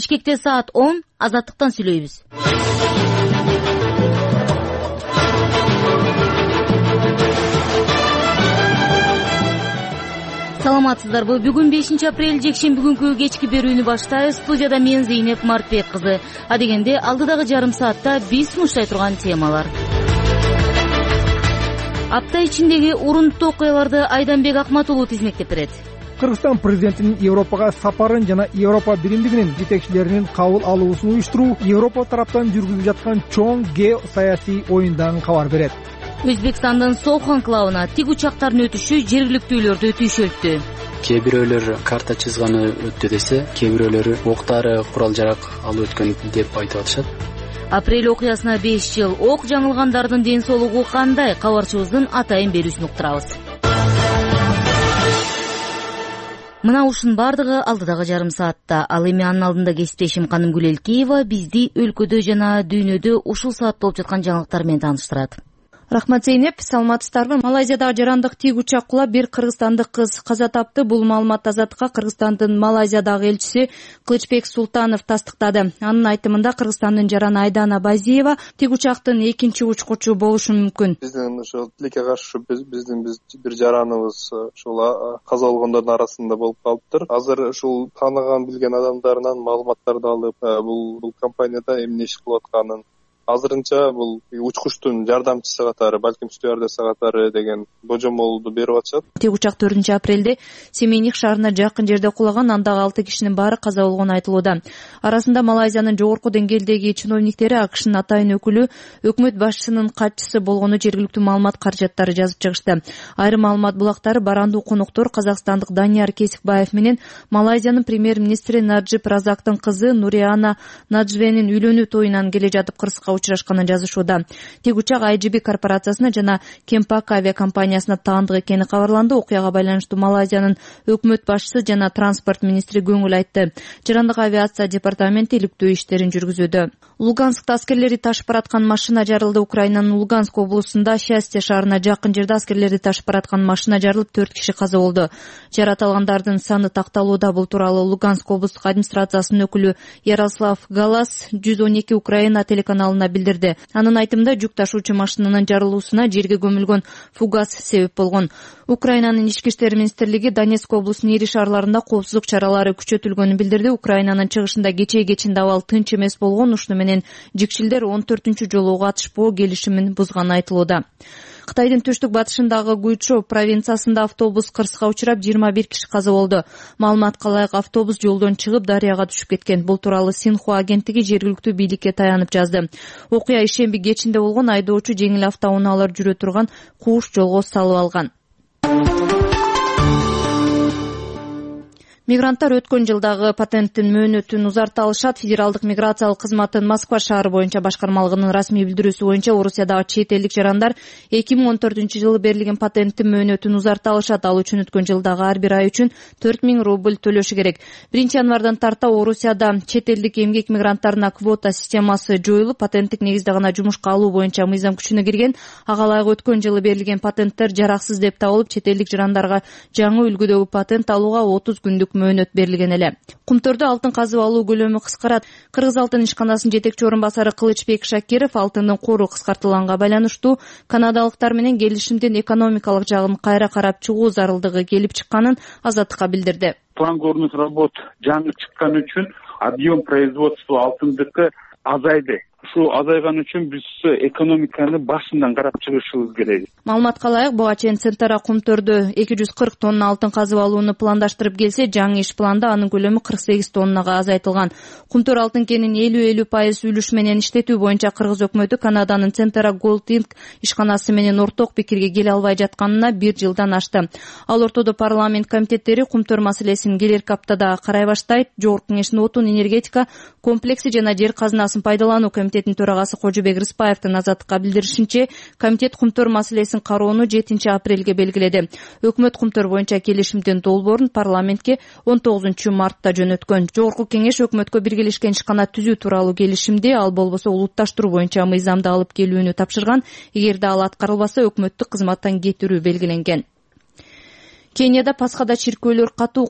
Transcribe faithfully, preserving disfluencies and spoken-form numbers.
Бишкекте саат он, Азаттыктан сүйлөйбүз. Саламатсыздарбы? Бүгүн бешинчи апрель жекшемби күнкү кечки берүүнү баштайбыз. Студияда мен Зейнеп Мартбек кызы. Адегенде алдыдагы жарым саатта биз сунуштай турган темалар. Апта ичиндеги урунттуу окуяларды Айданбек Акматулуу тизмектеп берет. Кыргызстан президентинин Европага сапарын жана Европа биримдигинин жетекчилеринин кабыл алуусун уюштуруу Европа тараптан жүргүзүлүп жаткан чоң геосаясий оюндан кабар берет. Өзбекстандын Соох анклавына тик учактардын өтүшү жергиликтүүлөрдү түйшөлттү. Кээ бирөөлөр карта чызганы өттү десе, кээ бирөөлөрү октары, курал жарак алып өткөн деп айтып атышат. Апрель окуясына беш жыл. Ок жаңылгандардын ден соолугу кандай? Кабарчыбыздын атайын берүүсүн уктурабыз. Мына ушунун бардыгы алдыдагы жарым саатта. Ал эми анын алдында кесиптешим Канымгүл Элкеева бизди өлкөдө жана дүйнөдө ушул саат болуп жаткан жаңылыктар менен тааныштырат. Рахмат Зейнеп, саламатсыздарбы? Малайзиядагы жарандык тик учак кулап бир кыргызстандык кыз каза тапты. Бул маалымат Азаттыкка Кыргызстандын Малайзиядагы элчиси Кылычбек Султанов тастыктады. Анын айтымында Кыргызстандын жараны Айдана Базиева тик учактын экинчи учкучу болушу мүмкүн. Биздин ошо тилекке каршы биздин биз бир жараныбыз ушул каза болгондордун арасында болуп калыптыр. Азыр ушул тааныган билген адамдарынан маалыматтарды алып, бул бул компанияда эмне иш кылып атканын, азырынча бул учкучтун жардамчысы катары, балким стюардесса катары деген божомолду берип атышат. Тик учак төртүнчү апрелде Семейник шаарына жакын жерде кулаган, андагы алты кишинин баары каза болгону айтылууда. Арасында Малайзиянын жогорку деңгээлдеги чиновниктери, АКШнын атайын өкүлү, өкмөт башчысынын катчысы болгону жергиликтүү маалымат каражаттары жазып чыгышты. Айрым маалымат булактары барандуу конуктор казакстандык Данияр Кесикбаев менен Малайзиянын премьер-министри Наджиб Разактын кызы Нуриана Наджвенин үйлөнүү тоюнан келе жатып кырсыкка учурашканын жазышууда. Тик учак ай джи би корпорациясына жана Кемпак авиакомпаниясына таандык экени кабарланды. Окуяга байланыштуу Малайзиянын өкмөт башчысы жана транспорт министри көңүл айтты. Жарандык авиация департаменти иликтөө иштерин жүргүзүүдө. Луганскта аскерлери ташып бараткан машина жарылды. Украинанын Луганск облусунда Счастье шаарына жакын жерде аскерлерди ташып бараткан машина жарылып, төрт киши каза болду. Жарат алгандардын саны такталууда. Бул тууралуу Луганск облустук администрациясынын өкүлү Ярослав Галас жүз он эки Украина телеканалына билдирди. Анын айтымында жүк ташуучу машинанын жарылуусуна жерге көмүлгөн фугас себеп болгон. Украинанын ички иштер министрлиги Донецк облусунун ири шаарларында коопсуздук чаралары күчөтүлгөнүн билдирди. Украинанын чыгышында кечээ кечинде абал тынч эмес болгон. Ушуну менен жикшилдер он төртүнчү жолу катышпоо келишимин бузганы айтылууда. Кытайдын түштүк батышындагы Гуйчжоу провинциясында автобус кырсыкка учурап, жыйырма бир киши каза болду. Маалыматка ылайык, автобус жолдон чыгып дарыяга түшүп кеткен. Бул тууралуу Синхуа агенттиги жергиликтүү бийликке таянып жазды. Окуя ишемби кечинде болгон. Айдоочу жеңил автоунаалар жүрө турган кууш жолго салып алган. Мигранттар өткөн жылдагы патенттин мөөнөтүн узарта алышат. Федералдык миграциялык кызматтын Москва шаары боюнча башкармалыгынын расмий билдирүүсү боюнча Орусиядагы чет элдик жарандар эки миң он төртүнчү жылы берилген патенттин мөөнөтүн узарта алышат. Ал үчүн өткөн жылдагы ар бир ай үчүн төрт миң рубль төлөшү керек. биринчи январдан тарта Орусияда чет элдик эмгек мигранттарына квота системасы жоюлуп, патенттик негизде гана жумушка алуу боюнча мыйзам күчүнө кирген. Ага ылайык өткөн жылы берилген патенттер жараксыз деп табылып, чет элдик жарандарга жаңы үлгүдөгү патент алууга отуз күндүк мөөнөт берилген эле. Кумтөрдө алтын казып алуу көлөмү кыскарат. Кыргыз алтын ишканасынын жетекчи орун басары Кылычбек Шакиров алтындын кору кыскартылганга байланыштуу канадалыктар менен келишимдин экономикалык жагын кайра карап чыгуу зарылдыгы келип чыкканын Азаттыкка билдирди. План горных работ жаңы чыккан үчүн объем производства алтындыкы азайды. Ушул азайган үчүн биз экономиканы башынан карап чыгышыбыз керек. Маалыматка ылайык, буга чейин Центара Кумтөрдө эки жүз кырк тонна алтын казып алууну пландаштырып келсе, жаңы иш планда анын көлөмү кырк сегиз тоннага азайтылган. Кумтөр алтын кенин элүү элүү пайыз үлүш менен иштетүү боюнча Кыргыз өкмөтү Канаданын Центара Gold Inc ишканасы менен орток пикирге келе албай жатканына бир жылдан ашты. Ал ортодо парламент комитеттери Кумтөр маселесин келерки аптада карай баштайт. Жогорку кеңештин отун, энергетика, комплекси жана жер казынасын пайдалануу комитетинин төрагасы Кожобек Рыспаевдин Азаттыкка билдиришинче, комитет Кумтөр маселесин кароону жетинчи апрелге белгиледи. Өкмөт Кумтөр боюнча келишимдин долбоорун парламентке он тогузунчу мартта жөнөткөн. Жогорку кеңеш өкмөткө биргелешкен ишкана түзүү тууралуу келишимди, ал болбосо улутташтыруу боюнча мыйзамды алып келүүнү тапшырган. Эгерде ал аткарылбаса, өкмөттүк кызматтан кетирүү белгиленген. Кенияда Пасхада чиркөөлөр катуу